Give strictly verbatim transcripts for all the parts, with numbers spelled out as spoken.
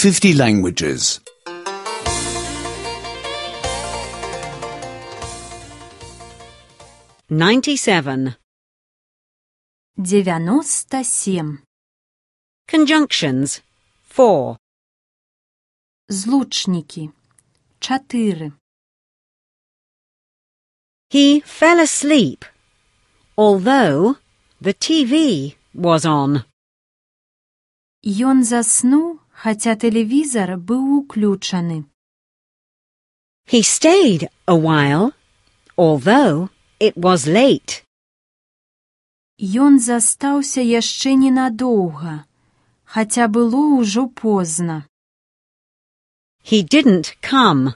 fifty languages. ninety-seven. Девяносто семь. Conjunctions. four. Злучники. Чатыры. He fell asleep, although the T V was on. Ён заснуў, хаця тэлевізар быў уключаны. He stayed a while, although it was late. Ён застаўся яшчэ ненадоўга, хаця было ўжо позна. He didn't come,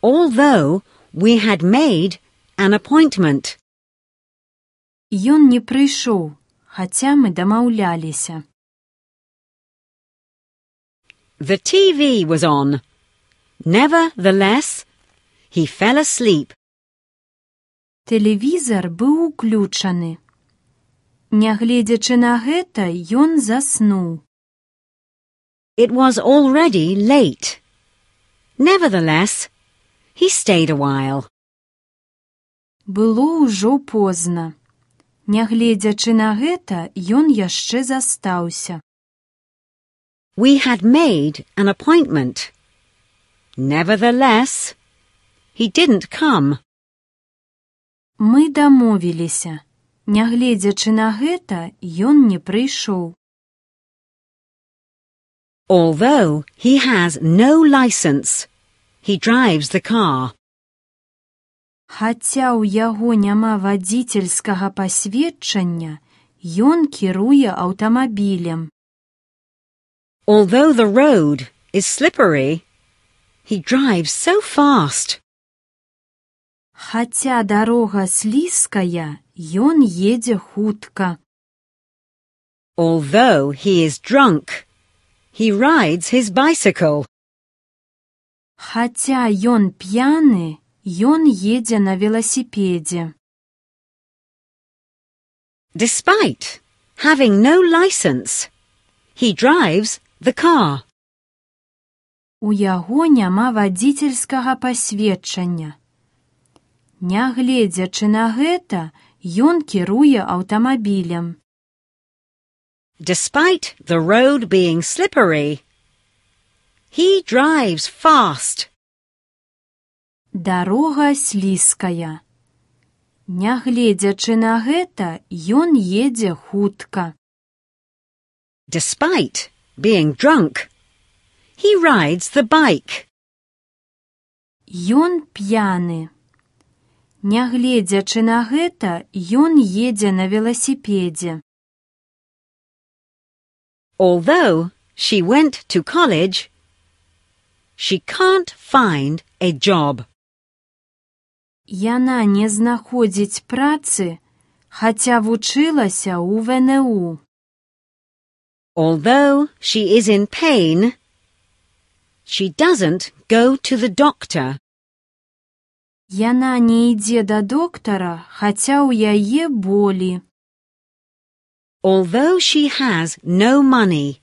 although we had made an appointment. Ён не прыйшоў, хаця мы дамаўляліся. The T V was on. Nevertheless, he fell asleep. Тэлевізар быў уключаны. Нягледзячы на гэта, ён заснуў. It was already late. Nevertheless, he stayed a while. Было ўжо позна. Нягледзячы на гэта, ён яшчэ застаўся. We had made an appointment. Nevertheless, he didn't come. Мы дамовіліся. Нягледзячы на гэта, ён не прыйшоў. Although he has no license, he drives the car. Хаця ў яго няма вадзіцельскага пасведчання, ён кіруе аўтамабілем. Although the road is slippery, he drives so fast. Хаця дарога слізкая, ён едзе хутка. Although he is drunk, he rides his bicycle. Хаця ён п'яны, ён едзе на веласіпедзе. Despite having no license, he drives the car. У яго няма вадзіцельскага пасведчання. Нягледзячы на гэта, ён кіруе аўтамабілем. Despite the road being slippery, he drives fast. Дарога слізкая. Нягледзячы на гэта, ён едзе хутка. Despite being drunk, he rides the bike. Ён п'яны. Нягледзячы на гэта, ён едзе на веласіпедзе. Although she went to college, she can't find a job. Яна не знаходзіць працы, хаця вучылася ў В Н У. Although she is in pain, she doesn't go to the doctor. Яна не ідзе да доктара, хаця ў яе болі. Although she has no money,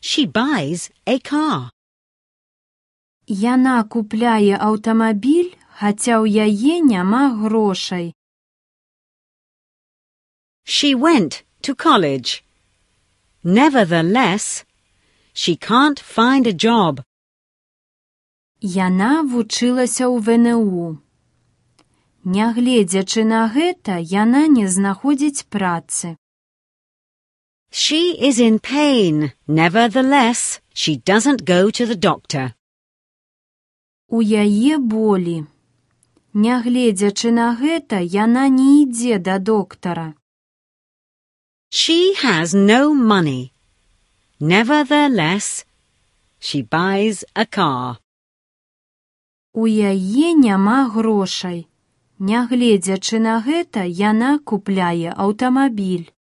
she buys a car. Яна купляе аўтамабіль, хаця ў яе няма грошай. She went to college. Nevertheless, she can't find a job. Яна вучылася ў В Н У. Нягледзячы на гэта, яна не знаходзіць працы. She is in pain. Nevertheless, she doesn't go to the doctor. У яе болі. Нягледзячы на гэта, яна не ідзе да доктара. She has no money. Nevertheless, she buys a car. У яе няма грошай. Нягледзячы на гэта, яна купляе аўтамабіль.